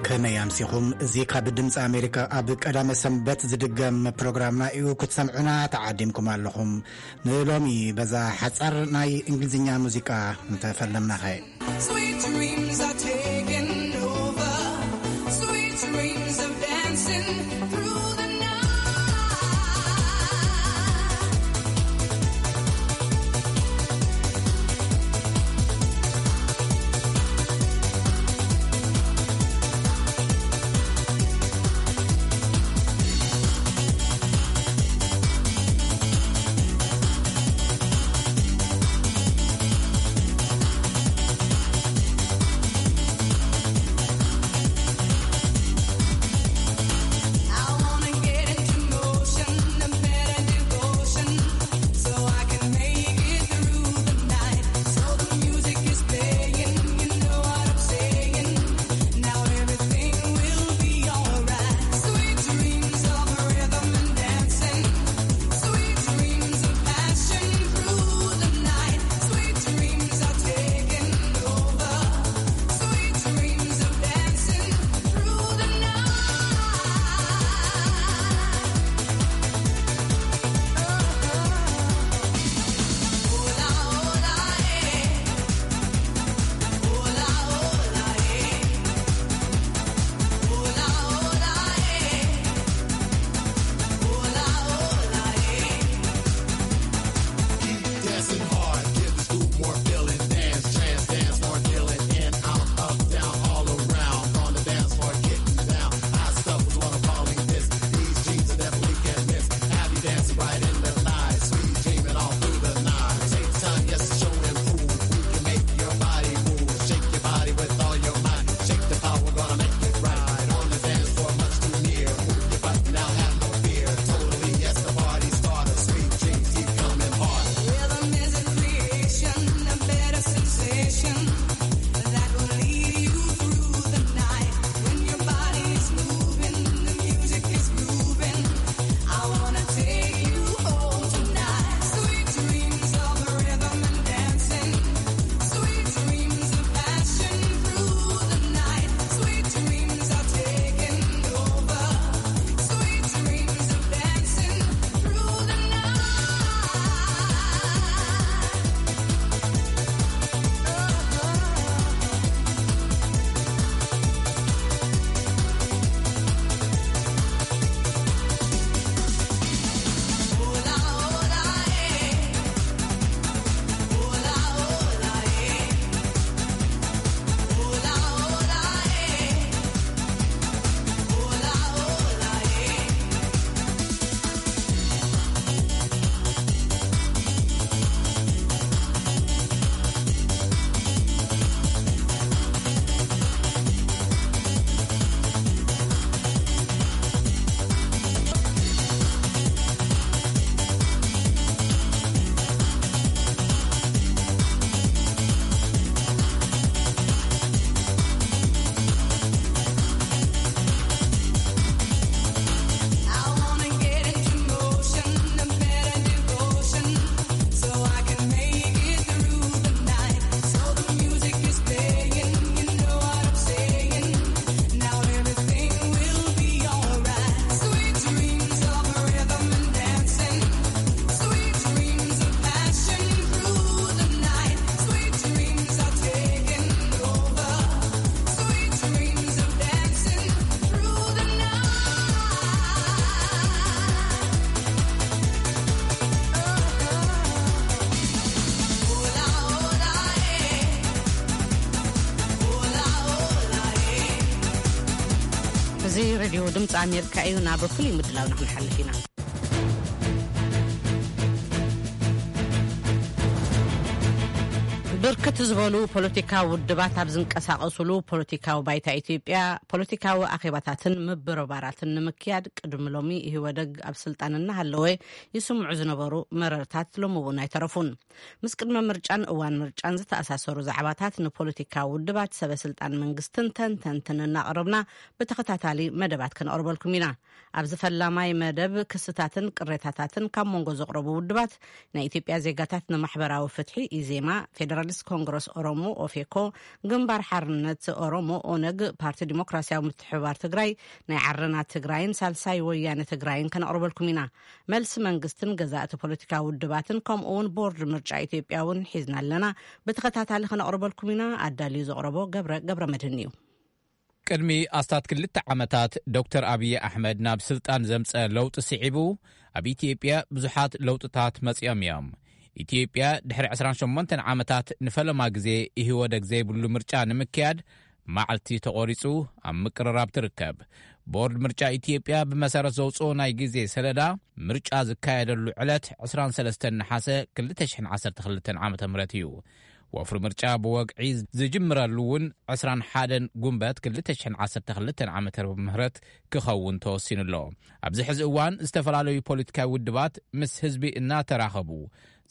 ከመይ ኣምሲኹም? እዚ ካብ ድምፂ ኣሜሪካ ኣብ ቀዳመ ሰንበት ዝድገም ፕሮግራምና እዩ። ክትሰምዑና ተዓዲምኩም ኣለኹም። ንሎሚ በዛ ሓፃር ናይ እንግሊዝኛ ሙዚቃ እንተፈለምናኸ? Sweet dreams are taking over. Sweet dreams of dancing through the night. እዚ ሬድዮ ድምፂ ኣሜሪካ እዩ። ናብ ፍሉይ ምድላውና ክንሓልፍ ኢና። ብርክት ዝበሉ ፖለቲካዊ ውድባት ኣብ ዝንቀሳቐሱሉ ፖለቲካዊ ባይታ ኢትዮጵያ፣ ፖለቲካዊ ኣኼባታትን ምብርባራትን ንምክያድ ቅድሚ ሎሚ ኢህወደግ ኣብ ስልጣን እናሃለወ ይስምዑ ዝነበሩ መረርታት ሎሚ እውን ኣይተረፉን። ምስ ቅድመ ምርጫን እዋን ምርጫን ዝተኣሳሰሩ ዛዕባታት ንፖለቲካዊ ውድባት፣ ሰበ ስልጣን መንግስትን ተንተንትን እናቕረብና ብተኸታታሊ መደባት ከነቕርበልኩም ኢና። ኣብዚ ፈላማይ መደብ ክስታትን ቅሬታታትን ካብ መንጎ ዘቕረቡ ውድባት ናይ ኢትዮጵያ ዜጋታት ንማሕበራዊ ፍትሒ፣ ኢዜማ፣ ፌደራል ኮንግረስ ኦሮሞ ኦፌኮ፣ ግንባር ሓርነት ኦሮሞ ኦነግ፣ ፓርቲ ዲሞክራሲያዊ ምትሕብባር ትግራይ፣ ናይ ዓረና ትግራይን ሳልሳይ ወያነ ትግራይን ከነቕርበልኩም ኢና። መልሲ መንግስትን ገዛእቲ ፖለቲካዊ ውድባትን ከምኡ እውን ቦርድ ምርጫ ኢትዮጵያ እውን ሒዝና ኣለና። ብተኸታታሊ ከነቕርበልኩም ኢና። ኣዳልዩ ዘቕረቦ ገብረ ገብረ መድህን እዩ። ቅድሚ ኣስታት ክልተ ዓመታት ዶክተር ኣብዪ ኣሕመድ ናብ ስልጣን ዘምጸ ለውጢ ስዒቡ፣ ኣብ ኢትዮጵያ ብዙሓት ለውጥታት መጺኦም እዮም። ኢትዮጵያ ድሕሪ ዕስራን ሸሞንተን ዓመታት ንፈለማ ግዜ ኢህወደግ ዘይብሉ ምርጫ ንምክያድ መዓልቲ ተቖሪጹ ኣብ ምቅርራብ ትርከብ። ቦርድ ምርጫ ኢትዮጵያ ብመሰረት ዘውጽኦ ናይ ግዜ ሰለዳ፣ ምርጫ ዝካየደሉ ዕለት ዕስራን ሰለስተን ነሓሰ ክልተ ሽሕን ዓሰርተ ክልተን ዓመተ ምህረት እዩ። ወፍሪ ምርጫ ብወግዒ ዝጅምረሉ እውን ዕስራን ሓደን ጉንበት ክልተ ሽሕን ዓሰርተ ክልተን ዓመተ ምህረት ክኸውን ተወሲኑ ኣሎ። ኣብዚ ሕዚ እዋን ዝተፈላለዩ ፖለቲካዊ ውድባት ምስ ህዝቢ እናተራኸቡ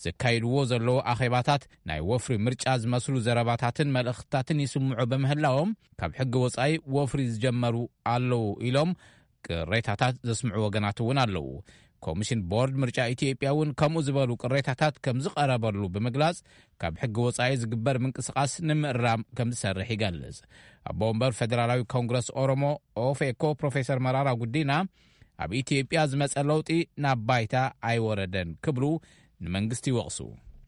ዘካይድዎ ዘለዉ ኣኼባታት ናይ ወፍሪ ምርጫ ዝመስሉ ዘረባታትን መልእኽትታትን ይስምዑ ብምህላዎም፣ ካብ ሕጊ ወጻኢ ወፍሪ ዝጀመሩ ኣለዉ ኢሎም ቅሬታታት ዘስምዑ ወገናት እውን ኣለዉ። ኮሚሽን ቦርድ ምርጫ ኢትዮጵያ እውን ከምኡ ዝበሉ ቅሬታታት ከም ዝቐረበሉ ብምግላጽ፣ ካብ ሕጊ ወጻኢ ዝግበር ምንቅስቓስ ንምእራም ከም ዝሰርሕ ይገልጽ። ኣቦ ወንበር ፌደራላዊ ኮንግረስ ኦሮሞ ኦፌኮ ፕሮፌሰር መራራ ጉዲና፣ ኣብ ኢትዮጵያ ዝመጸ ለውጢ ናብ ባይታ ኣይወረደን ክብሉ ንመንግስቲ ይወቕሱ።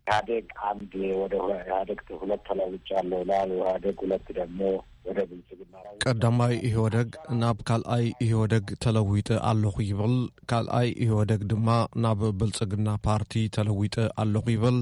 ኢህአዴግ አንድ ወደ ኢህአዴግ ሁለት ተለውጫለሁ ይላል። ኢህአዴግ ሁለት ደግሞ ወደ ብልጽግና ላይ ቀዳማይ ኢህወደግ ናብ ካልኣይ ኢህወደግ ተለዊጠ ኣለኹ ይብል። ካልኣይ ኢህወደግ ድማ ናብ ብልጽግና ፓርቲ ተለዊጠ ኣለኹ ይብል።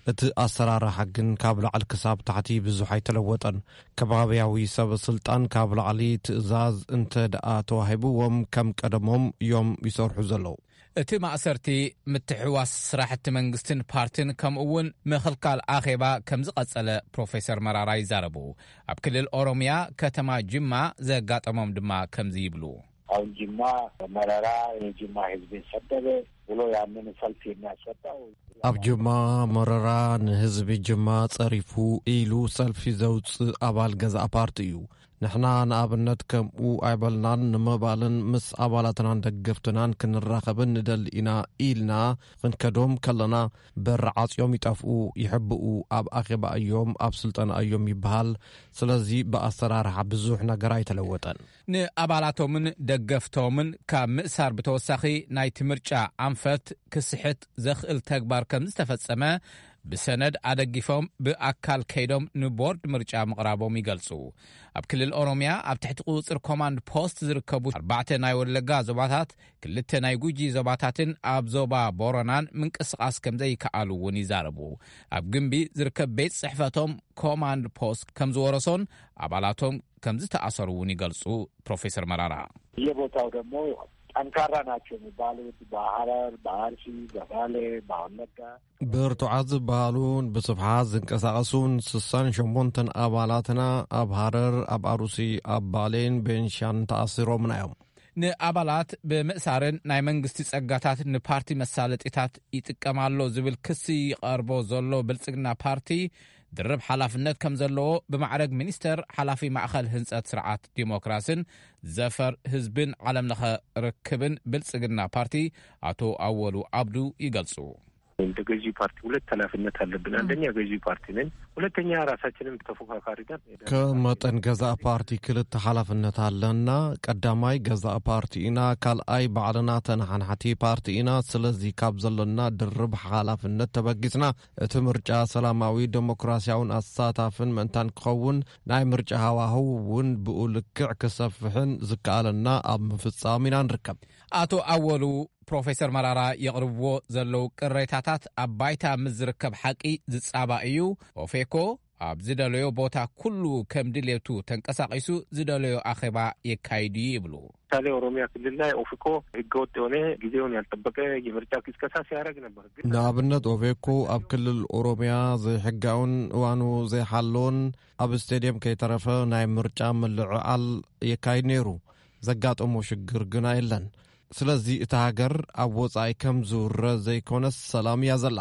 እቲ ኣሰራርሓ ግን ካብ ላዕሊ ክሳብ ታሕቲ ብዙሕ ኣይተለወጠን። ከባብያዊ ሰብ ስልጣን ካብ ላዕሊ ትእዛዝ እንተ ደኣ ተዋሂብዎም ከም ቀደሞም እዮም ይሰርሑ ዘለዉ። እቲ ማእሰርቲ፣ ምትሕዋስ ስራሕቲ መንግስትን ፓርቲን ከምኡ እውን ምኽልካል ኣኼባ ከም ዝቐጸለ ፕሮፌሰር መራራ ይዛረቡ። ኣብ ክልል ኦሮሚያ ከተማ ጅማ ዘጋጠሞም ድማ ከምዚ ይብሉ። አሁን ጅማ መረራ የጅማ ህዝብን ሰደበ ብሎ ያንን ሰልፍ የሚያስወጣው ኣብ ጅማ መረራ ንህዝቢ ጅማ ጸሪፉ ኢሉ ሰልፊ ዘውጽእ ኣባል ገዛእ ፓርቲ እዩ። ንሕና ንኣብነት ከምኡ ኣይበልናን ንምባልን ምስ ኣባላትናን ደገፍትናን ክንራኸብን ንደሊ ኢና ኢልና ክንከዶም ከለና በር ዓጽዮም ይጠፍኡ፣ ይሕብኡ፣ ኣብ ኣኼባ እዮም፣ ኣብ ስልጠና እዮም ይበሃል። ስለዚ ብኣሰራርሓ ብዙሕ ነገር ኣይተለወጠን። ንኣባላቶምን ደገፍቶምን ካብ ምእሳር ብተወሳኺ ናይቲ ምርጫ ኣንፈት ክስሕት ዘኽእል ተግባር ከም ዝተፈጸመ ብሰነድ ኣደጊፎም ብኣካል ከይዶም ንቦርድ ምርጫ ምቕራቦም ይገልጹ። ኣብ ክልል ኦሮሚያ ኣብ ትሕቲ ቁጽጽር ኮማንድ ፖስት ዝርከቡ ኣርባዕተ ናይ ወለጋ ዞባታት፣ ክልተ ናይ ጉጂ ዞባታትን ኣብ ዞባ ቦረናን ምንቅስቓስ ከም ዘይከኣሉ እውን ይዛረቡ። ኣብ ግንቢ ዝርከብ ቤት ጽሕፈቶም ኮማንድ ፖስት ከም ዝወረሶን ኣባላቶም ከም ዝተኣሰሩ እውን ይገልጹ ፕሮፌሰር መራራ። የቦታው ደግሞ ጠንካራ ናቸው የሚባሉት በሐረር፣ በአርሲ፣ በባሌ፣ በወለጋ ብርቱዓት ዝበሃሉን ብስፍሓት ዝንቀሳቐሱን ስሳን ሸሞንተን ኣባላትና ኣብ ሃረር፣ ኣብ ኣሩሲ፣ ኣብ ባሌን ቤንሻን ተኣሲሮምና እዮም። ንኣባላት ብምእሳርን ናይ መንግስቲ ጸጋታት ንፓርቲ መሳለጢታት ይጥቀም ኣሎ ዝብል ክሲ ይቐርቦ ዘሎ ብልጽግና ፓርቲ፣ ድርብ ሓላፍነት ከም ዘለዎ ብማዕረግ ሚኒስተር ሓላፊ ማእኸል ህንጸት ስርዓት ዲሞክራስን ዘፈር ህዝብን ዓለምለኸ ርክብን ብልጽግና ፓርቲ ኣቶ ኣወሉ ዓብዱ ይገልጹ። እንደ ገዢ ፓርቲ ሁለት ኃላፊነት አለብን። አንደኛ ገዢ ፓርቲ ነን፣ ሁለተኛ ራሳችንን ተፎካካሪ ነን። ከም መጠን ገዛእ ፓርቲ ክልተ ሓላፍነት ኣለና። ቀዳማይ ገዛእ ፓርቲ ኢና፣ ካልኣይ ባዕልና ተነሓናሕቲ ፓርቲ ኢና። ስለዚ ካብ ዘለና ድርብ ሓላፍነት ተበጊስና እቲ ምርጫ ሰላማዊ ዴሞክራሲያውን ኣሳታፍን ምእንታን ክኸውን ናይ ምርጫ ሃዋህው እውን ብኡ ልክዕ ክሰፍሕን ዝከኣለና ኣብ ምፍጻም ኢና ንርከብ። ኣቶ ኣወሉ ፕሮፌሰር መራራ የቕርብዎ ዘለዉ ቅሬታታት ኣብ ባይታ ምስ ዝርከብ ሓቂ ዝጻባእ እዩ። ኦፌኮ ኣብ ዝደለዮ ቦታ ኩሉ ከም ድሌቱ ተንቀሳቒሱ ዝደለዮ ኣኼባ የካይድ እዩ ይብሉ። ምሳሌ ኦሮሚያ ክልል ላይ ኦፌኮ ህገወጥ የሆነ ጊዜውን ያልጠበቀ የምርጫ ቅስቀሳ ሲያደርግ ነበር። ግን ንኣብነት ኦፌኮ ኣብ ክልል ኦሮሚያ ዘይሕጋውን እዋኑ ዘይሓለውን ኣብ ስቴድየም ከይተረፈ ናይ ምርጫ ምልዕዓል የካይድ ነይሩ። ዘጋጠሞ ሽግር ግና የለን። ስለዚ እታ ሃገር ኣብ ወጻኢ ከም ዝውረ ዘይኮነስ ሰላም እያ ዘላ።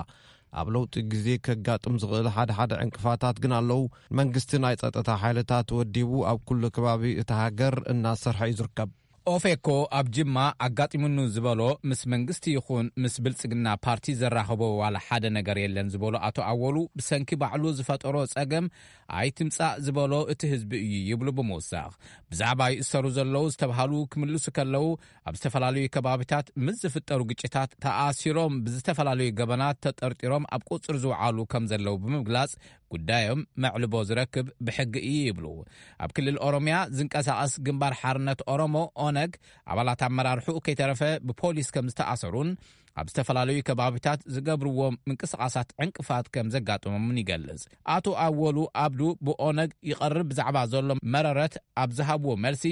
ኣብ ለውጢ ግዜ ከጋጥም ዝኽእል ሓደ ሓደ ዕንቅፋታት ግን ኣለዉ። መንግስቲ ናይ ጸጥታ ሓይልታት ወዲቡ ኣብ ኩሉ ከባቢ እታ ሃገር እናሰርሐ እዩ ዝርከብ። ኦፌኮ ኣብ ጅማ ኣጋጢሙኑ ዝበሎ ምስ መንግስቲ ይኹን ምስ ብልጽግና ፓርቲ ዘራኸቦ ዋላ ሓደ ነገር የለን ዝበሎ ኣቶ ኣወሉ፣ ብሰንኪ ባዕሉ ዝፈጠሮ ጸገም ኣይትምጻእ ዝበሎ እቲ ህዝቢ እዩ ይብሉ ብምውሳኽ፣ ብዛዕባ ይእሰሩ ዘለዉ ዝተብሃሉ ክምልሱ ከለዉ፣ ኣብ ዝተፈላለዩ ከባቢታት ምስ ዝፍጠሩ ግጭታት ተኣሲሮም ብዝተፈላለዩ ገበናት ተጠርጢሮም ኣብ ቁጽሪ ዝውዓሉ ከም ዘለዉ ብምግላጽ፣ ጉዳዮም መዕልቦ ዝረክብ ብሕጊ እዩ ይብሉ። ኣብ ክልል ኦሮምያ ዝንቀሳቐስ ግንባር ሓርነት ኦሮሞ፣ ኦነግ፣ ኣባላት ኣመራርሕኡ ከይተረፈ ብፖሊስ ከም ዝተኣሰሩን ኣብ ዝተፈላለዩ ከባቢታት ዝገብርዎም ምንቅስቓሳት ዕንቅፋት ከም ዘጋጠሞምን ይገልጽ። ኣቶ ኣወሉ ኣብዱ ብኦነግ ይቐርብ ብዛዕባ ዘሎ መረረት ኣብ ዝሃብዎ መልሲ፣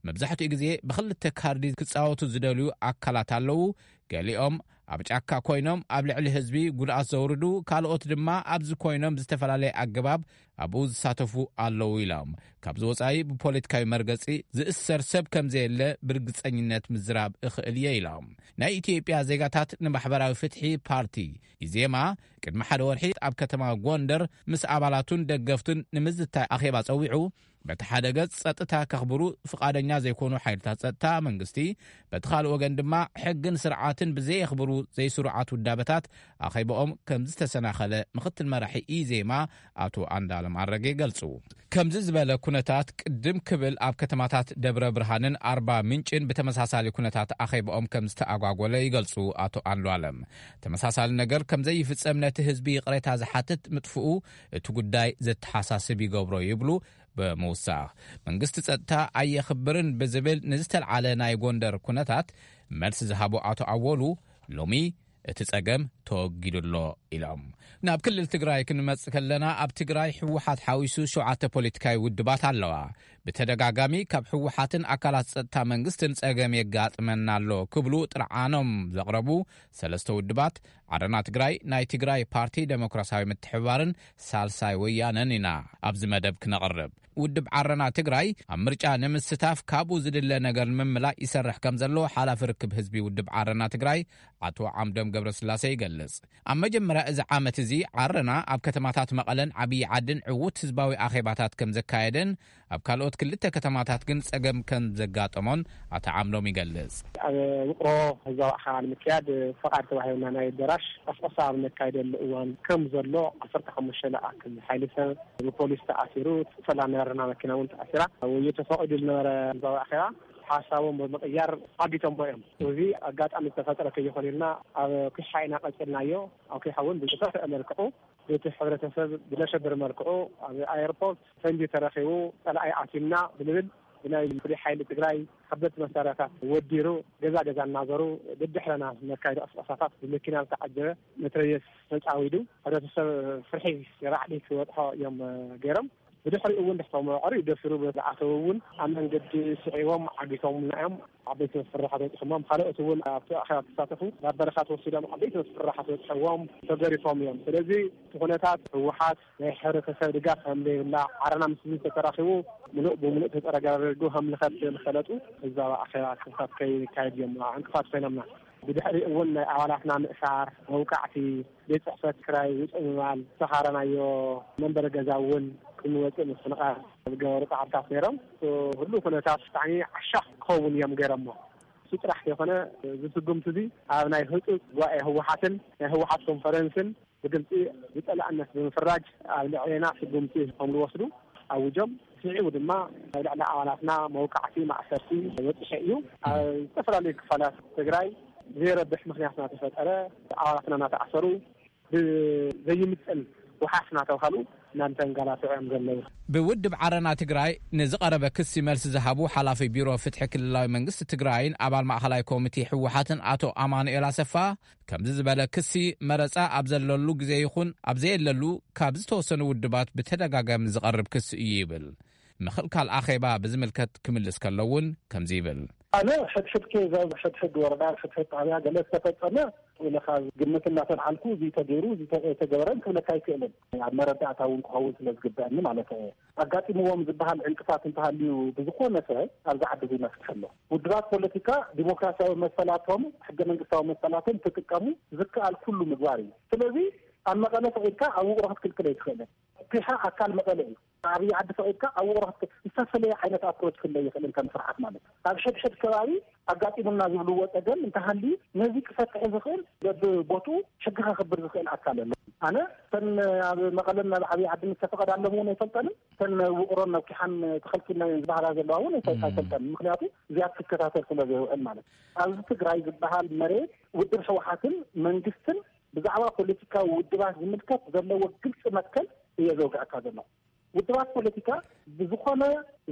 መብዛሕትኡ ግዜ ብኽልተ ካርዲ ክጻወቱ ዝደልዩ ኣካላት ኣለዉ። ገሊኦም ኣብ ጫካ ኮይኖም ኣብ ልዕሊ ህዝቢ ጉድኣት ዘውርዱ፣ ካልኦት ድማ ኣብዚ ኮይኖም ብዝተፈላለየ ኣገባብ ኣብኡ ዝሳተፉ ኣለዉ ኢሎም። ካብዚ ወጻኢ ብፖለቲካዊ መርገጺ ዝእሰር ሰብ ከም ዘየለ ብርግጸኝነት ምዝራብ እኽእል እየ ኢሎም። ናይ ኢትዮጵያ ዜጋታት ንማሕበራዊ ፍትሒ ፓርቲ፣ ኢዜማ፣ ቅድሚ ሓደ ወርሒ ኣብ ከተማ ጎንደር ምስ ኣባላቱን ደገፍቱን ንምዝታይ ኣኼባ ጸዊዑ፣ በቲ ሓደ ገጽ ጸጥታ ከኽብሩ ፍቓደኛ ዘይኮኑ ሓይልታት ጸጥታ መንግስቲ፣ በቲ ካልእ ወገን ድማ ሕግን ስርዓትን ብዘየኽብሩ ዘይስሩዓት ውዳበታት ኣኼባኦም ከም ዝተሰናኸለ ምኽትል መራሒ ኢዜማ ኣቶ ኣንዳለም ኣረገ ይገልጹ። ከምዚ ዝበለ ኩነታት ቅድም ክብል ኣብ ከተማታት ደብረ ብርሃንን ኣርባ ምንጭን ብተመሳሳሊ ኩነታት ኣኼባኦም ከም ዝተኣጓጎለ ይገልጹ ኣቶ ኣንዱኣለም። ተመሳሳሊ ነገር ከም ዘይፍጸም ነቲ ህዝቢ ይቕሬታ ዝሓትት ምጥፍኡ እቲ ጉዳይ ዘተሓሳስብ ይገብሮ ይብሉ። ብምውሳኽ መንግስቲ ጸጥታ ኣየኽብርን ብዝብል ንዝተልዓለ ናይ ጎንደር ኩነታት መልሲ ዝሃቡ ኣቶ ኣወሉ፣ ሎሚ እቲ ጸገም ተወጊዱ ኣሎ ኢሎም። ናብ ክልል ትግራይ ክንመጽእ ከለና፣ ኣብ ትግራይ ህወሓት ሓዊሱ ሸውዓተ ፖለቲካዊ ውድባት ኣለዋ። ብተደጋጋሚ ካብ ህወሓትን ኣካላት ጸጥታ መንግስትን ጸገም የጋጥመና ኣሎ ክብሉ ጥርዓኖም ዘቕረቡ ሰለስተ ውድባት፣ ዓረና ትግራይ፣ ናይ ትግራይ ፓርቲ ደሞክራሲያዊ ምትሕብባርን ሳልሳይ ወያነን ኢና ኣብዚ መደብ ክነቕርብ። ውድብ ዓረና ትግራይ ኣብ ምርጫ ንምስታፍ ካብኡ ዝድለ ነገር ንምምላእ ይሰርሕ ከም ዘሎ ሓላፊ ርክብ ህዝቢ ውድብ ዓረና ትግራይ ኣቶ ዓምዶም ገብረስላሴ ይገልጽ። ኣብ መጀመርያ እዚ ዓመት እዚ ዓረና ኣብ ከተማታት መቐለን ዓብዪ ዓድን ዕዉት ህዝባዊ ኣኼባታት ከም ዘካየደን ኣብ ካልኦት ክልተ ከተማታት ግን ጸገም ከም ዘጋጠሞን ኣቶ ዓምዶም ይገልጽ። ኣብ ውቕሮ ህዝባዊ ኣኼባ ንምክያድ ፈቓድ ተዋሂቡና ናይ ኣዳራሽ ቀስቀሳ ኣብ ነካይደሉ እዋን ከም ዘሎ ዓሰርተ ሓሙሽተ ዝኣክል ሓይሊ ሰብ ብፖሊስ ተኣሲሩ፣ ሰላም ናይ ዓረና መኪና እውን ተኣሲራ። ውይይት ተፈቒዱ ዝነበረ ህዝባዊ ኣኼባ ሓሳቦም ብምቕያር ዓጊቶሞ እዮም። እዚ ኣጋጣሚ ዝተፈጠረ ከይኾነ ኢልና ኣብ ኲሓ ኢና ቀጺልናዮ። ኣብ ኲሓ እውን ብዝኸፍአ መልክዑ በቲ ሕብረተሰብ ብዘሸብር መልክዑ ኣብ ኣየርፖርት ፈንጂ ተረኺቡ፣ ጸላኢ ኣትዩና ብንብል ብናይ ፍሉይ ሓይሊ ትግራይ ከበድቲ መሳርያታት ወዲሩ ገዛ ገዛ እናዞሩ ደድሕረና ነካይዶ ቅስቀሳታት ብመኪና ዝተዓጀበ መትረየስ ተጻዊዱ ሕብረተሰብ ፍርሒ ራዕዲ ክበጽሖ እዮም ገይሮም። ብድሕሪኡ እውን ድሕቶም ዕርዩ ደፊሩ ዝኣተዉ እውን ኣብ መንገዲ ስዒቦም ዓጊቶምና እዮም። ዓበይቲ መፍርሒ ተበጺሖሞም። ካልኦት እውን ኣብቲ ኣኼባ ዝተሳተፉ ናብ በረኻ ተወሲዶም ዓበይቲ መፍርሒ ተበጺሖዎም ተገሪፎም እዮም። ስለዚ እቲ ኩነታት ህወሓት ናይ ሕብረተሰብ ድጋፍ ከም ዘይብላ፣ ዓረና ምስ ህዝቢ ተተራኺቡ ምሉእ ብምሉእ ተጸረጋሪጉ ከም ዝኸድ ዝፈለጡ ህዝባዊ ኣኼባ ክሳብ ከይካየድ እዮም ዕንቅፋት ኮይኖምና። ብድሕሪ እውን ናይ ኣባላትና ምእሳር፣ መውቃዕቲ፣ ቤት ጽሕፈት ክራይ ውጽእ ምባል፣ ዝተኻረናዮ መንበሪ ገዛ እውን ክንወጽእ ምፍንቓል ዝገበሩ ጻዕርታት ነይሮም። እቲ ህሉው ኩነታት ብጣዕሚ ዓሻኽ ክኸውን እዮም ገይሮሞ። እሱ ጥራሕ ዘይኮነ፣ እዚ ስጉምቲ እዚ ኣብ ናይ ህጹጽ ጉባኤ ህወሓትን ናይ ህወሓት ኮንፈረንስን ብግልጺ ብጸላእነት ብምፍራጅ ኣብ ልዕሌና ስጉምቲ ከም ዝወስዱ ኣውጆም። ስዒቡ ድማ ኣብ ልዕሊ ኣባላትና መውቃዕቲ ማእሰርቲ በጺሑ እዩ። ኣብ ዝተፈላለዩ ክፋላት ትግራይ ብዘይረብሕ ምኽንያት እናተፈጠረ ኣባላትና እናተኣሰሩ፣ ብዘይምጥን ወሓስ እናተባሃሉ እናተንገላትዑ እዮም ዘለዉ። ብውድብ ዓረና ትግራይ ንዝቐረበ ክሲ መልሲ ዝሃቡ ሓላፊ ቢሮ ፍትሒ ክልላዊ መንግስቲ ትግራይን ኣባል ማእኸላይ ኮሚቴ ህወሓትን ኣቶ ኣማኑኤል ኣሰፋ፣ ከምዚ ዝበለ ክሲ መረጻ ኣብ ዘለሉ ግዜ ይኹን ኣብ ዘየለሉ ካብ ዝተወሰኑ ውድባት ብተደጋጋሚ ዝቐርብ ክሲ እዩ ይብል። ምኽልካል ኣኼባ ብዝምልከት ክምልስ ከሎ እውን ከምዚ ይብል። ኣነ ሕድሕድ ኬዝ ኣብ ሕድሕድ ወረዳ፣ ኣብ ሕድሕድ ጣብያ ገለ ዝተፈጸመ ኢለ ካብ ግምት እናተልዓልኩ፣ እዚ ተገይሩ፣ እዚ ተ-፣ ተገበረን ክብለካ ኣይክእልን። ኣብ መረዳእታ እውን ክኸውን ስለ ዝግበአኒ ማለት እየ። ኣጋጢምዎም ዝበሃል ዕንቅፋት እንተሃልዩ ብዝኾነ ሰብ ኣብዚ ዓዲ እዚ መፍትሒ ኣሎ። ውድባት ፖለቲካ ዲሞክራሲያዊ መሰላቶም፣ ሕገ መንግስታዊ መሰላቶም ክጥቀሙ ዝከኣል ኩሉ ምግባር እዩ። ስለዚ ኣብ መቐለ ፈቒድካ ኣብ ውቕሮ ክትክልክል ኣይትኽእልን። ኲሓ ኣካል መቐለ እዩ። ዓብዪ ዓዲ ፈቒድካ ኣብ ውቕሮ ክትከ-፣ ዝተፈለየ ዓይነት ኣፕሮች ክህለ ይኽእልን ከም ስርዓት ማለት እዩ። ኣብ ሕድሕድ ከባቢ ኣጋጢሙና ዝብልዎ ጸገም እንተሃልዩ ነዚ ክፈትሕ ዝኽእል በብቦትኡ ሕጊ ከኽብር ዝኽእል ኣካል ኣሎ። ኣነ እተን ኣብ መቐለን ኣብ ዓብዪ ዓድን ዝተፈቐዳሎም እውን ኣይፈልጠንን፣ እተን ውቕሮን ኣብ ኪሓን ተኸልኪልና እየን ዝበሃላ ዘለዋ እውን ኣይፈ-፣ እም። ኣይፈልጠንን። ምክንያቱ እዚኣ ክትከታተል ስለ ዘይውዕል ማለት እዩ። ኣብዚ ትግራይ ዝበሃል መሬት ውድብ ህወሓትን መንግስትን ብዛዕባ ፖለቲካዊ ውድባት ዝምልከት ዘለዎ ግልፂ መትከል እየ ዘውግዐካ ዘለኹ። ውድባት ፖለቲካ ብዝኾነ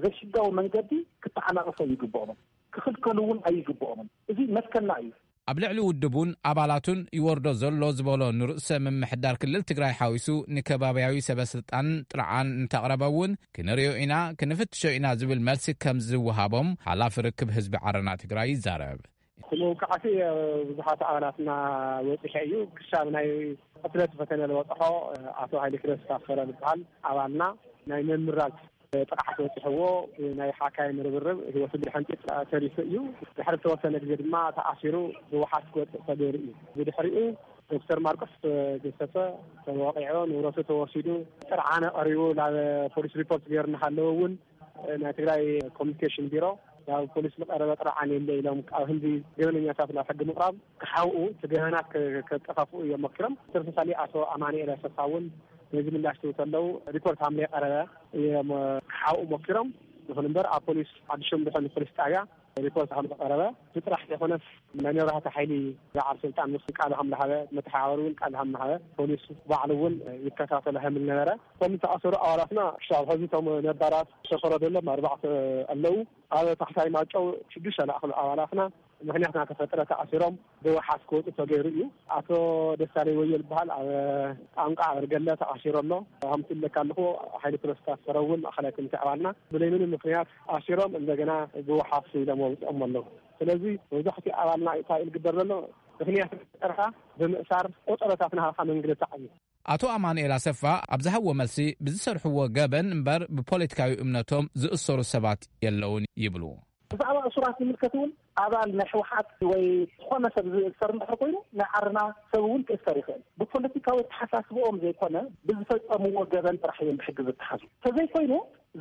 ዘይሕጋዊ መንገዲ ክተዓናቕፎ ኣይግብኦምን፣ ክኽልከሉ እውን ኣይግብኦምን። እዚ መትከልና እዩ። ኣብ ልዕሊ ውድቡን ኣባላቱን ይወርዶ ዘሎ ዝበሎ ንርእሰ ምምሕዳር ክልል ትግራይ ሓዊሱ ንከባብያዊ ሰበ ስልጣን ጥርዓን እንተቕረበ እውን ክንሪኦ ኢና፣ ክንፍትሾ ኢና ዝብል መልሲ ከም ዝወሃቦም ሓላፊ ርክብ ህዝቢ ዓረና ትግራይ ይዛረብ። እቲ መውቃዕቲ ብዙሓት ኣባላትና በፂሑ እዩ። ክሳብ ናይ ቅትለት ፈተነ ዝበፅሖ ኣቶ ሃይለ ክረስ ታፈረ ዝበሃል ኣባልና ናይ ምምራዝ ጥቕዓት በፂሕዎ ናይ ሓካይም ርብርብ ህይወቱ ብድሕንጢ ተሪፉ እዩ። ድሕሪ ዝተወሰነ ግዜ ድማ ተኣሲሩ ብዋሓስ ክወፅእ ተገይሩ እዩ። ብድሕሪኡ ዶክተር ማርቆስ ገሰሰ ተወቂዑ፣ ንብረቱ ተወሲዱ፣ ጥርዓነ ቀሪቡ ናብ ፖሊስ ሪፖርት ገይሩ እናሃለወ እውን ናይ ትግራይ ኮሚኒኬሽን ቢሮ ናብ ፖሊስ ዝቀረበ ጥርዓን የለ ኢሎም ኣብ ህንዲ ገበነኛታት ናብ ሕጊ ምቕራብ ክሓውኡ እቲ ገበናት ከ-፣ ከጠፋፍኡ እዮም ሞኪሮም። ተመሳሳሊ ኣቶ ኣማኑኤል ኣሰፋ እውን ነዚ ምላሽ ክህቡ ከለዉ ሪፖርት ሃምለ ቀረበ እዮም ክሓውኡ ሞኪሮም። ይኹን እምበር ኣብ ፖሊስ ዓዲ ሸምብሖ ንፖሊስ ጣብያ ሪፖርት ከም ዝቐረበ፣ እዚ ጥራሕ ዘይኮነስ ናይ መብራህቲ ሓይሊ በዓል ስልጣን ምስ ቃሉ ከም ዝሃበ፣ መተሓባበሪ እውን ቃል ከም ዝሃበ፣ ፖሊስ ባዕሉ እውን ይከታተሎ ከም ዝነበረ፣ እቶም ዝተኣሰሩ ኣባላትና ክሳብ ሕዚ እቶም ነባራት ዝተፈረደሎም ኣርባዕተ ኣለዉ። ኣብ ታሕታይ ማይጨው ሽዱሽተ ዝኣኽሉ ኣባላትና ምኽንያት እናተፈጠረ ተኣሲሮም ብዋሓስ ክወፁ ተገይሩ እዩ። ኣቶ ደሳለይ ወዮ ዝበሃል ኣብ ጣንቋ ኣበርገለ ተኣሲሩ ኣሎ። ከምቲ ዝብለካ ኣለኹ፣ ሓይሊ ፕሮስታት ሰረ እውን ማእኸላይ ኮሚቴ ኣባልና ብለይ ምንም ምኽንያት ኣሲሮም እንደገና ብዋሓስ ኢሎም ኣውፅኦም ኣለዉ። ስለዚ መብዛሕትኡ ኣባልና እንታይ እዩ ዝግበር ዘሎ? ምኽንያት ፈጠርካ ብምእሳር ቆፀሮታት ናሃኻ መንግልታዕ እዩ። ኣቶ ኣማኑኤል ኣሰፋ ኣብ ዝሃብዎ መልሲ፣ ብዝሰርሕዎ ገበን እምበር ብፖለቲካዊ እምነቶም ዝእሰሩ ሰባት የለውን ይብሉ። ብዛዕባ እሱራት ዝምልከት እውን ኣባል ናይ ህወሓት ወይ ዝኾነ ሰብ ዝእሰር እንድሕር ኮይኑ ናይ ዓርና ሰብ እውን ክእሰር ይኽእል። ብፖለቲካዊ ኣተሓሳስብኦም ዘይኮነ ብዝፈጸምዎ ገበን ጥራሕ እዮም ብሕጊ ዝተሓዙ። ተዘይኮይኑ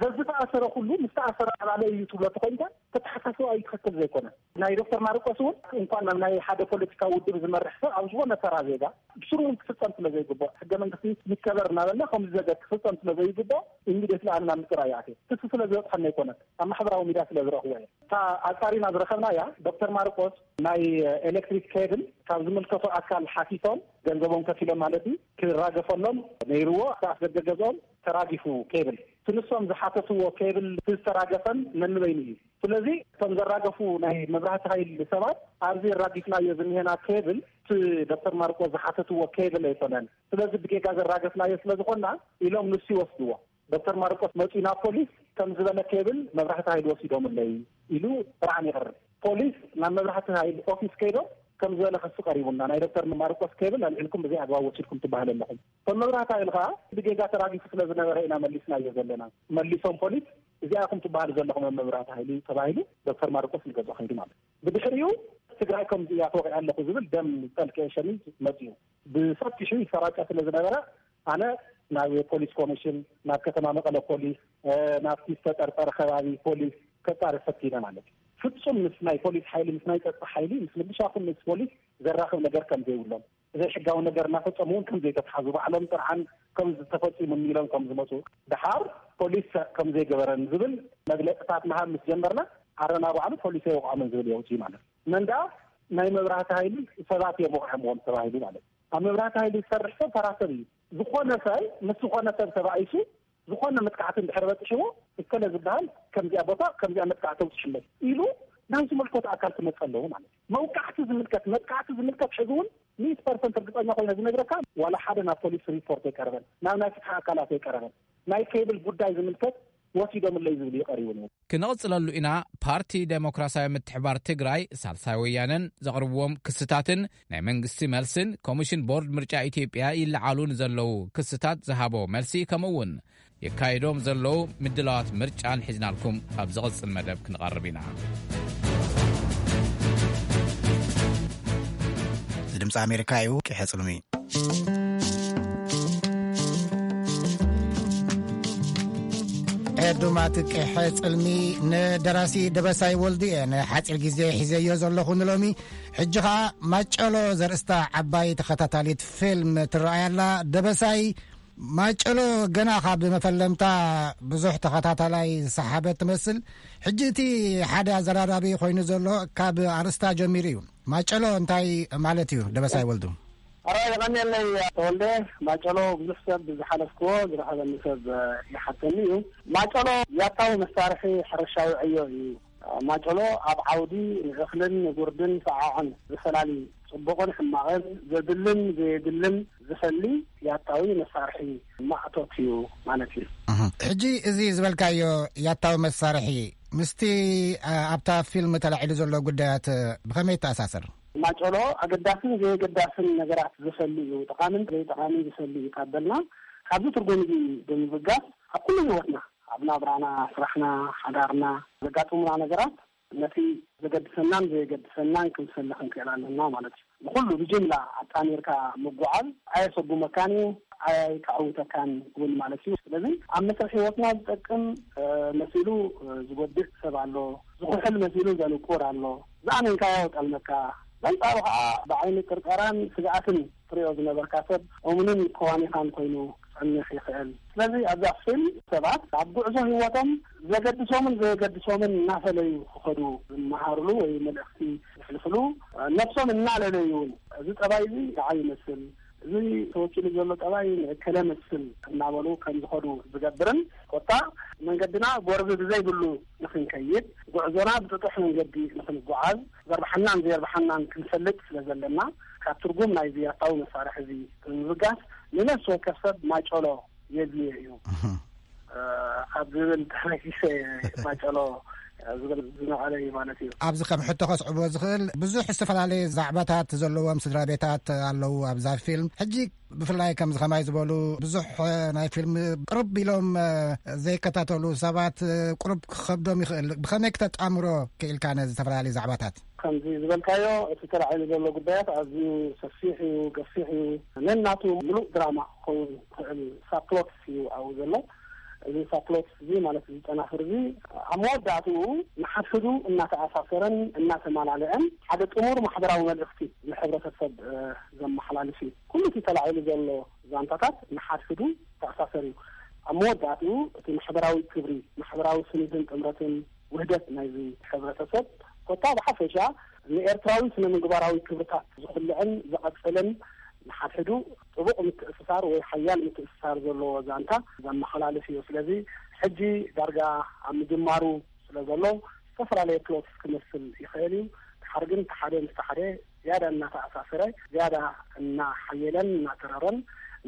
ዘዝተኣሰረ ኩሉ ምስ ተኣሰረ ኣባለ እዩ ትብሎ ተኾይንካ ተተሓሳስባ እዩ ትኽክል ዘይኮነ። ናይ ዶክተር ማርቆስ እውን እንኳን ናብ ናይ ሓደ ፖለቲካዊ ውድብ ዝመርሕ ሰብ ኣብ ዝኾነ ተራ ዜጋ ብስሩ እውን ክፍጸም ስለ ዘይግባእ ሕገ መንግስቲ ይከበር እናበልና ከምዚ ዘገ ክፍጸም ስለ ዘይግባእ ኢሚዲየትሊ ኣነ ናብ ምፅራይ ይኣትየ። ክሲ ስለ ዝበፅሐና ኣይኮነን፣ ኣብ ማሕበራዊ ሚድያ ስለ ዝረኽቦ እየ። እታ ኣፃሪና ዝረኸብናያ ዶክተር ማርቆስ ናይ ኤሌክትሪክ ኬብል ካብ ዝምልከቶ ኣካል ሓቲቶም ገንዘቦም ከፊሎም ማለት እዩ ክራገፈሎም ነይርዎ። እቲ ኣፍደገ ገዝኦም ተራጊፉ ኬብል እቲ ንሶም ዝሓተትዎ ኬብል ዝተራገፈን ነንበይኑ እዩ። ስለዚ እቶም ዘራገፉ ናይ መብራህቲ ሃይል ሰባት ኣብዚ ራጊፍናዮ ዝኒሄና ኬብል እቲ ዶክተር ማርቆስ ዝሓተትዎ ኬብል ኣይኮነን። ስለዚ ብጌጋ ዘራገፍናዮ ስለ ዝኾንና ኢሎም ንሱ ይወስድዎ። ዶክተር ማርቆስ መፂኡ ናብ ፖሊስ ከም ዝበለ ኬብል መብራህቲ ሃይል ወሲዶምለይ ኢሉ ጥርዓን ይቕርብ። ፖሊስ ናብ መብራህቲ ሃይል ኦፊስ ከይዶም ከም ዝበለ ክሲ ቀሪቡና ናይ ዶክተር ማርቆስ ኬብል ኣልዒልኩም ብዘይ ኣግባብ ወሲድኩም ትበሃል ኣለኹም። እቶም መብራህቲ ሃይል ከዓ ብጌጋ ተራጊፉ ስለ ዝነበረ ኢና መሊስናዮ ዘለና። መሊሶም ፖሊስ እዚኣ ኢኹም ትበሃሉ ዘለኹም ኣብ መብራህቲ ሃይሊ ተባሂሉ ዶክተር ማርቆስ ንገዝኦ ከይዱ ማለት እዩ። ብድሕሪኡ ትግራይ ከምዚ እያ ተወቂዐ ኣለኹ ዝብል ደም ዝጠልቀየ ሸሚዝ መፂኡ። ብሰፊሑ ይሰራጨ ስለ ዝነበረ ኣነ ናብ ፖሊስ ኮሚሽን፣ ናብ ከተማ መቐለ ፖሊስ፣ እ፣ ናብቲ ዝተጠርጠረ ከባቢ ፖሊስ ከፃርፍ ፈቲነ ማለት እዩ። ፍጹም ምስ ናይ ፖሊስ ሓይሊ፣ ምስ ናይ ፀጥታ ሓይሊ፣ ምስ ምልሻ ይኹን ምስ ፖሊስ ዘራኽብ ነገር ከም ዘይብሎም፣ ዘይሕጋዊ ነገር እናፈጸሙ እውን ከም ዘይተትሓዙ፣ ባዕሎም ጥርዓን ከም ዝተፈጺሙኒ ኢሎም ከም ዝመጹ፣ ደሓር ፖሊስ ከም ዘይገበረን ዝብል መግለጽታት ምሃብ ምስ ጀመርና፣ ዓረና ባዕሉ ፖሊስ ኣይወቕዖምን ዝብል የውጽእ ማለት እዩ። መን ደኣ ናይ መብራህቲ ሃይሊ ሰባት እዮም ወቒዖምዎም ተባሂሉ ማለት እዩ። ኣብ መብራህቲ ሃይሊ ዝሰርሕ ሰብ ተራ ሰብ እዩ። ዝኾነ ሰብ ምስ ዝኾነ ሰብ ተባኢሱ ዝኾነ መጥቃዕቲ እንድሕር በፂሕዎ፣ እከለ ዝበሃል ከምዚኣ ቦታ ከምዚኣ መጥቃዕቲ ተውፅሕለይ ኢሉ ናይ ዝመልከቶ ኣካል ክመፀ ኣለዎ ማለት እዩ። መውቃዕቲ ዝምልከት፣ መጥቃዕቲ ዝምልከት ሕዚ እውን ሚእቲ ፐርሰንት እርግፀኛ ኮይነ ዝነግረካ፣ ዋላ ሓደ ናብ ፖሊስ ሪፖርት ኣይቀረበን፣ ናብ ናይ ፍትሒ ኣካላት ኣይቀረበን። ናይ ኬብል ጉዳይ ዝምልከት ወሲዶምለይ ዝብል እዩ ቀሪቡ ነይሩ። ክንቕፅለሉ ኢና። ፓርቲ ዴሞክራሲያዊ ምትሕባር ትግራይ፣ ሳልሳይ ወያነን ዘቕርብዎም ክስታትን ናይ መንግስቲ መልስን ኮሚሽን ቦርድ ምርጫ ኢትዮጵያ ይለዓሉ ንዘለዉ ክስታት ዝሃቦ መልሲ፣ ከምኡ እውን የካይዶም ዘለዉ ምድላዋት ምርጫን ሒዝናልኩም ኣብ ዝቕጽል መደብ ክንቐርብ ኢና። እዚ ድምፂ ኣሜሪካ እዩ። ቂሐ ጽልሚ። ዱማት ቅሐ ጽልሚ ንደራሲ ደበሳይ ወልዱ እየ ንሓጺር ግዜ ሒዘዮ ዘለኹ ንሎሚ። ሕጂ ኸኣ ማጨሎ ዘርእስታ ዓባይ ተኸታታሊት ፊልም ትረኣይ ኣላ። ደበሳይ፣ ማጨሎ ገና ካብ መፈለምታ ብዙሕ ተኸታታላይ ዝሰሓበት ትመስል። ሕጂ እቲ ሓደ ኣዘራራቢ ኮይኑ ዘሎ ካብ ኣርእስታ ጀሚሩ እዩ። ማጨሎ እንታይ ማለት እዩ ደበሳይ ወልዱ? ኣራይ፣ የቐንየለይ ተወልደ። ማጨሎ ብዙሕ ሰብ ብዝሓለፍክዎ ዝረኸበኒ ሰብ ይሓተኒ እዩ። ማጨሎ ያታዊ መሳርሒ ሕርሻዊ ዕዮ እዩ። ማጨሎ ኣብ ዓውዲ ንእኽልን ንጉርድን ሰዓዕን ዝፈላሊ፣ ጽቡቕን ሕማቕን፣ ዘድልን ዘየድልን ዝፈሊ ያታዊ መሳርሒ ማእቶት እዩ ማለት እዩ። እህ። ሕጂ እዚ ዝበልካዮ ያታዊ መሳርሒ ምስቲ፣ አ፣ ኣብታ ፊልም ተላዒሉ ዘሎ ጉዳያት ብኸመይ ይተኣሳሰር? ማጨሎ ኣገዳስን ዘየገዳስን ነገራት ዝፈሊ እዩ፣ ጠቓምን ዘይጠቓምን ዝፈሊ እዩ ካብ በልና፣ ካብዚ ትርጉም እዚ ብምብጋስ ኣብ ኩሉ ህይወትና፣ ኣብ ናብራና፣ ስራሕና፣ ሓዳርና ዘጋጥሙና ነገራት ነቲ ዘገድሰናን ዘየገድሰናን ክንፈሊ ክንክእል ኣለና ማለት እዩ። ንኹሉ ብጅምላ ኣጣሚርካ ምጉዓዝ ኣየሰጉመካን እዩ፣ ኣየተዓውተካን እውን ማለት እዩ። ስለዚ ኣብ መስርሕ ህይወትና ዝጠቅም፣ እ፣ መሲሉ፣ እ፣ ዝጎድእ ሰብ ኣሎ፣ ዝኹሕል መሲሉ ዘንቁር ኣሎ። ዝኣመንካዮ ጠልመካ፣ በንጻሩ ኸኣ ብዓይኒ ጥርጠራን ስግኣትን ትሪኦ ዝነበርካ ሰብ እሙንን ከዋኒኻን ኮይኑ ክጸንሕ ይኽእል። ስለዚ ኣብዛ ፊልም ሰባት ኣብ ጉዕዞ ህይወቶም ዘገድሶምን ዘየገድሶምን እናፈለዩ ክኸዱ ዝመሃርሉ ወይ መልእኽቲ ዘሕልፍሉ፣ ነብሶም እናለለዩ እውን፣ እዚ ጠባይ እዚ ንዓይ ይመስል፣ እዚ ተወኪሉ ዘሎ ጠባይ ንእከለ መስል እናበሉ ከም ዝኸዱ ዝገብርን፣ ኮታ መንገድና ጎርቢ ብዘይብሉ ንኽንከይድ፣ ጉዕዞና ብጥጡሕ መንገዲ ንኽንጓዓዝ፣ ዘርብሓናን ዘየርብሓናን ክንፈልጥ ስለ ዘለና፣ ካብ ትርጉም ናይዚ ያታዊ መሳርሒ እዚ ብምብጋስ፣ ንነፍሲ ወከፍ ሰብ ማጨሎ የድልዮ እዩ፣ እህ። እ፣ ካብ ዝብል ተበጊሰ ማጨሎ ዝብል ዝነቐለ እዩ ማለት እዩ። ኣብዚ ከም ሕቶ ከስዕቦ ዝኽእል ብዙሕ ዝተፈላለየ ዛዕባታት ዘለዎም ስድራ ቤታት ኣለዉ ኣብዛ ፊልም። ሕጂ ብፍላይ ከምዚ ከማይ ዝበሉ ብዙሕ፣ እ፣ ናይ ፊልም ቅርብ ኢሎም፣ እ፣ ዘይከታተሉ ሰባት፣ እ፣ ቅሩብ ክኸብዶም ይኽእል። ብኸመይ ክተጣምሮ ክኢልካ ነዚ ዝተፈላለዩ ዛዕባታት? ከምዚ ዝበልካዮ፣ እቲ ተላዒሉ ዘሎ ጉዳያት ኣዝዩ ሰፊሕ እዩ፣ ገፊሕ እዩ። ነናቱ ምሉእ ድራማ ክኸውን ዝኽእል ሳፕሎትስ እዩ ኣብኡ ዘሎ። እዚ ሳፕሎትስ እዚ ማለት እዚ ጨናፍር እዚ ኣብ መወዳእትኡ ንሓድሕዱ እናተኣሳሰረን እናተማላለአን ሓደ ጥሙር ማሕበራዊ መልእኽቲ ንሕብረተሰብ፣ እ፣ ዘመሓላልፍ እዩ። ኩሉ እቲ ተላዒሉ ዘሎ ዛንታታት ንሓድሕዱ ተኣሳሰር እዩ። ኣብ መወዳእትኡ እቲ ማሕበራዊ ክብሪ፣ ማሕበራዊ ስኒትን ጥምረትን ውህደት ናይዚ ሕብረተሰብ፣ ኮታ ብሓፈሻ ንኤርትራዊ ስነ ምግባራዊ ክብርታት ዝኹልዕን ዝቐጽልን ንሓድሕዱ ጥቡቕ ምትእስሳር ወይ ሓያል ምትእስሳር ዘለዎ ዛንታ ዘመሓላልፍ እዩ። ስለዚ ሕጂ ዳርጋ ኣብ ምጅማሩ ስለ ዘሎ ዝተፈላለየ ፕሎት ክመስል ይኽእል እዩ። ድሓር ግን እቲ ሓደ ምስቲ ሓደ ዝያዳ እናተኣሳሰረ፣ ዝያዳ እናሓየለን እናተረረን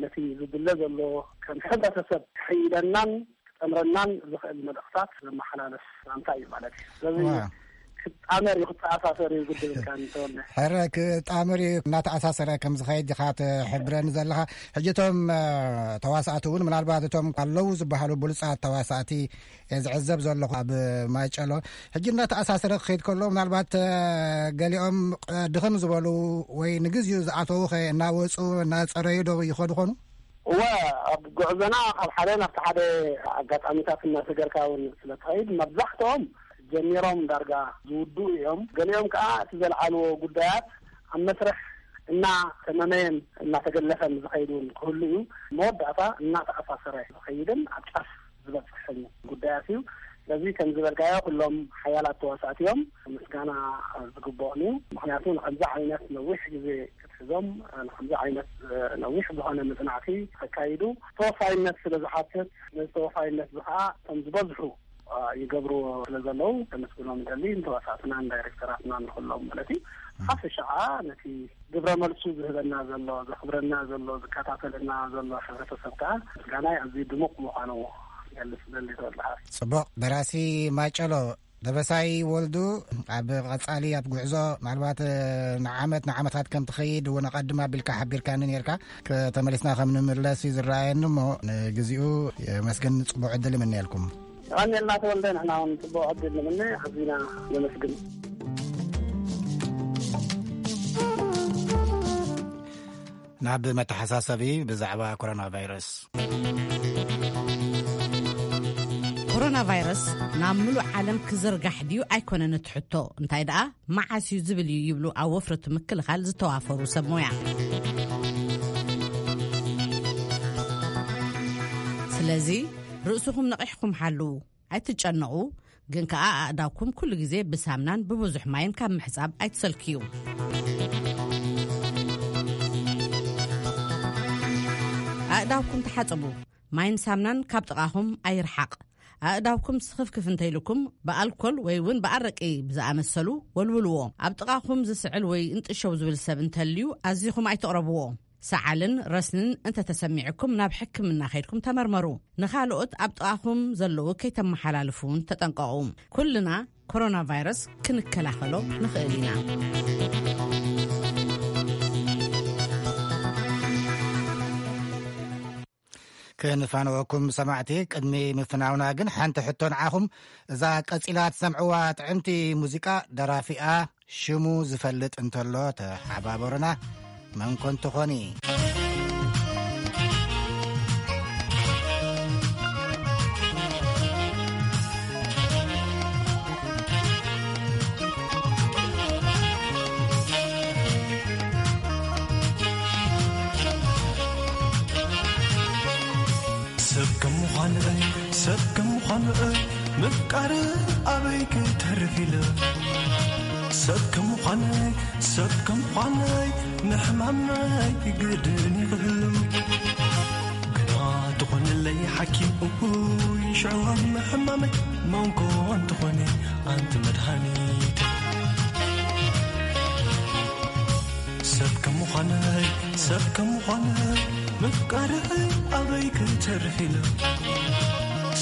ነቲ ዝድለ ዘሎ ከም ሕብረተሰብ ክሕይለናን ክጠምረናን ዝኽእል መልእኽታት ዘመሓላልፍ ዛንታ እዩ ማለት እዩ። ስለዚ ዋው። ክጣመር እዩ፣ ክተኣሳሰር እዩ ግድብልካ እንተወለ። ሕረ ክጣምር እዩ፣ እናተኣሳሰረ ከም ዝኸይድ ኢኻ ትሕብረኒ ዘለኻ። ሕጂ እቶም፣ እ፣ ተዋሳእቲ እውን ምናልባት እቶም ኣለዉ ዝበሃሉ ብሉጻት ተዋሳእቲ እየ ዝዕዘብ ዘለኹ ኣብ ማይጨሎ። ሕጂ እናተኣሳሰረ ክኸይድ ከሎ ምናልባት፣ እ፣ ገሊኦም፣ እ፣ ድኽም ዝበሉ ወይ ንግዚኡ ዝኣተዉ ኸ እናወጹ እናጸረዩ ዶ ይኸዱ ኾኑ? እወ፣ ኣብ ጉዕዞና ካብ ሓደ ናብቲ ሓደ ኣጋጣሚታት እናሰገርካ እውን ስለ ትኸይድ፣ መብዛሕትኦም ጀሚሮም ዳርጋ ዝውድኡ እዮም። ገሊኦም ከኣ እቲ ዘልዓልዎ ጉዳያት ኣብ መስርሕ እናተመመየን እናተገለፈን ዝኸይድ እውን ክህሉ እዩ። መወዳእታ እናተኣሳሰረ ዝኸይድን ኣብ ጫፍ ዝበጽሕን ጉዳያት እዩ። ስለዚ ከም ዝበልካዮ ኩሎም ሓያላት ተዋሳእቲ እዮም፣ ምስጋና ዝግብኦም እዩ። ምኽንያቱ ንከምዚ ዓይነት ነዊሕ ግዜ ክትሕዞም፣ ንከምዚ ዓይነት ነዊሕ ዝኾነ መጽናዕቲ ከካይዱ ተወፋይነት ስለ ዝሓትት፣ ነዚ ተወፋይነት እዚ ከዓ ከም ዝበዝሑ ይገብርዎ ስለ ዘለዉ ከመስግኖም ይደሊ፣ ንተዋሳእትናን ዳይሬክተራትናን ንኹሎም ማለት እዩ። ሓፈሻ ከዓ ነቲ ግብረ መልሱ ዝህበና ዘሎ፣ ዘኽብረና ዘሎ፣ ዝከታተለና ዘሎ ሕብረተሰብ ከዓ ምስጋናይ ኣዝዩ ድሙቕ ምዃኑ ክገልጽ እደሊ። ተወልደ ሓወይ። ጽቡቕ። ደራሲ ማጨሎ ደበሳይ ወልዱ፣ ኣብ ቀጻሊ ኣብ ጉዕዞ ምናልባት፣ እ፣ ንዓመት ንዓመታት ከም ትኸይድ እውን ኣቐድም ኣቢልካ ሓቢርካኒ ነርካ። ከተመሊስና ከም ንምለስ እዩ ዝረኣየኒ እሞ ንግዚኡ የመስግን፣ ጽቡቕ ዕድል ይምነየልኩም። የቐንየልና ተወልደ፣ ንሕና እውን ጽቡቕ ዕድል ንምነ፣ ኣዚና ነመስግን። ናብ መተሓሳሰቢ ብዛዕባ ኮሮና ቫይረስ። ኮሮና ቫይረስ ናብ ምሉእ ዓለም ክዝርጋሕ ድዩ ኣይኮነን እቲ ሕቶ፣ እንታይ ደኣ መዓስ እዩ ዝብል እዩ ይብሉ ኣብ ወፍረቱ ምክልኻል ዝተዋፈሩ ሰብ ሞያ። ስለዚ ርእስኹም ነቒሕኩም ሓልዉ፣ ኣይትጨነቑ። ግን ከኣ ኣእዳውኩም ኩሉ ግዜ ብሳምናን ብብዙሕ ማይን ካብ ምሕጻብ ኣይትሰልክዩ። ኣእዳውኩም ተሓጸቡ። ማይን ሳምናን ካብ ጥቓኹም ኣይርሓቕ። ኣእዳውኩም ስኽፍክፍ እንተይልኩም ብኣልኮል ወይ እውን ብኣረቂ ብዝኣመሰሉ ወልውልዎ። ኣብ ጥቓኹም ዝስዕል ወይ እንጥሸው ዝብል ሰብ እንተልዩ ኣዚኹም ኣይትቕረብዎ። ሰዓልን ረስንን እንተተሰሚዕኩም ናብ ሕክምና ከይድኩም ተመርመሩ። ንኻልኦት ኣብ ጥቓኹም ዘለዉ ከይተመሓላልፉ እውን ተጠንቀቑ። ኩልና ኮሮና ቫይረስ ክንከላኸሎ ንኽእል ኢና። ክንፋንወኩም ሰማዕቲ፣ ቅድሚ ምፍናውና ግን ሓንቲ ሕቶ ንዓኹም። እዛ ቀጺላ ትሰምዕዋ ጥዕምቲ ሙዚቃ ደራፊኣ ሽሙ ዝፈልጥ እንተሎ ተሓባበሩና። መን ኮን ትኾኒ? ሰብ ከም ምዃን'ይ፣ ሰብ ከም ምዃን'ይ፣ ምፍቃር ኣበይ ክተርፍ ኢለ። ሰብ ከም ምዃን'ይ፣ ሰብ ከም ምዃን'ይ፣ ምሕማም'ይ ግድን ይኽህሉ። ግና ትኾንለይ ሓኪም እኩይ ሽዕዋ ምሕማመይ መንኮ እንትኾነ ኣንቲ መድሃኒት። ሰብ ከም ምዃነይ፣ ሰብ ከም ምዃነይ፣ ምፍቃረይ ኣበይ ክተርፍ ኢለ።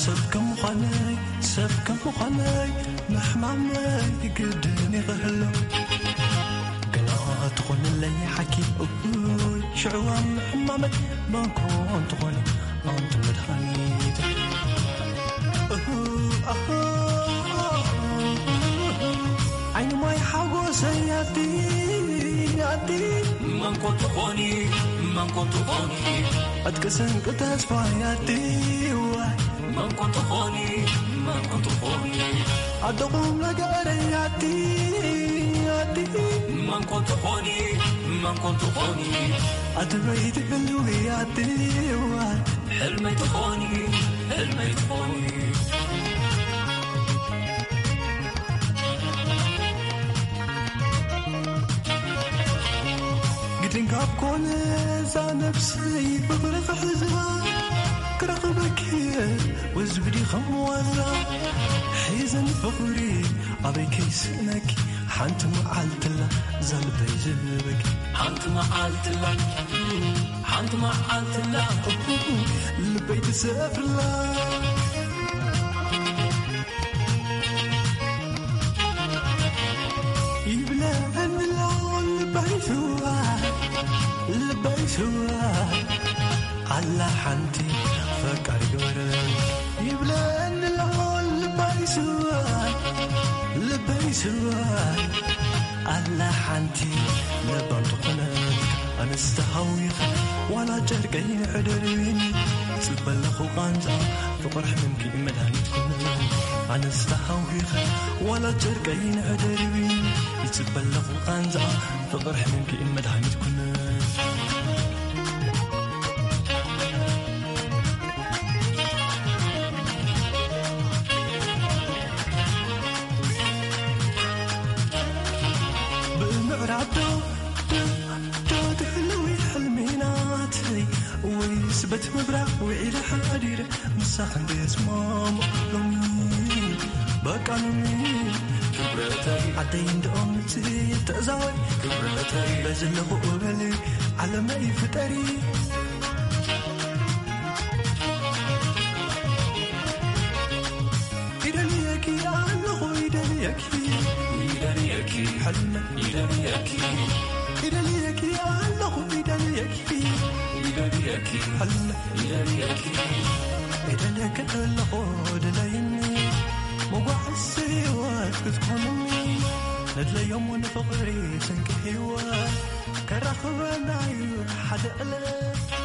ሰብ ከም ምዃነይ፣ ሰብ ከም ምዃነይ፣ ምሕማመይ ግድን ይኽህሎ። ገና ትኾንለይ ሓኪም እኩይ ሽዕዋ ምሕማመይ መንኮ እንትኾነ ኣንቲ መድሃኒት። እሁ፣ ኣሁ፣ ዓይኒ ማይ ሓጎሰይ ኣቲ፣ ኣቲ መንኮ ትኾኒ፣ መንኮ ትኾኒ። ዕጥቂ ስንቂ ተስፋይ ኣቲ፣ ዋይ መንኮ ትኾኒ፣ መንኮ ትኾኒ። ኣደኹም ነገረይ ኣቲ፣ ኣቲ መንኮ ትኾኒ፣ መንኮ ትኾኒ። ኣቲ በይቲ ህልዊ ኣቲ፣ ዋይ ሕልመይ ትኾኒ፣ ሕልመይ ትኾኒ። ግድን ካብ ኮነ እዛ ነብሰይ ፍቕሪ ክሕዛ ክረኽበኪ ወዝብዲ ከም ዋዛ ሒዘን ፍቕሪ ኣበይ ከይስእነኪ ሓንቲ መዓልትላ እዛ ልበይ ዝህበኪ ሓንቲ መዓልትላ ሓንቲ መዓልትላ ልበይ ትሰፍርላ ይብለኒ ኣሎ ልበይ ስዋ ልበይ ስዋ ኣላ ሓንቲ ፈቃሪ ግበረ ይብለኒ ኣሎ ልበይ ስዋ ልበይ ስዋ ኣላ ሓንቲ ለባም ዝኾነት ኣነስ ተሃዊኸ ዋላ ጨርቀይ ንሕደርብኒ ይጽበ ኣለኹ ቃንዛ ፍቕር ሕምምኪ መድሃኒት ኩነ ኣነስ ተሃዊኸ ዋላ ጨርቀይ ንሕደርብኒ ይጽበ ኣለኹ ቃንዛ ፍቕር ሕምምኪ መድሃኒት ኩነ ብምዕራብ ዶ ዶ ዶ ትሕልዊ ሕልሚ ናተይ ወይስ በት ምብራቕ ውዒለ ሓዲረ ምሳኽ እንድየስማም ሎሚ በቃ ሎሚ ክብረተይ ዓደይ እንድኦም ምጽእ ተዛወሪ ክብረተይ በዝለኹ እበሊ ዓለመይ ፍጠሪ ይደልየኪ ኣለኹ ይደልየኪ ይደልየኪ ሕልመ ይደልየኪ ይደልየኪ ኣለኹ ይደልየኪ ይደልየኪ ሕልመ ይደልየኪ ይደልየኪ ኣለኹ ድለይኒ መጓዓዝ ህይወት ክትኮንኒ ነድለዮም ንፍቕሪ ስንቂ ህይወት ከራኽበና እዩ ሓደ ዕለት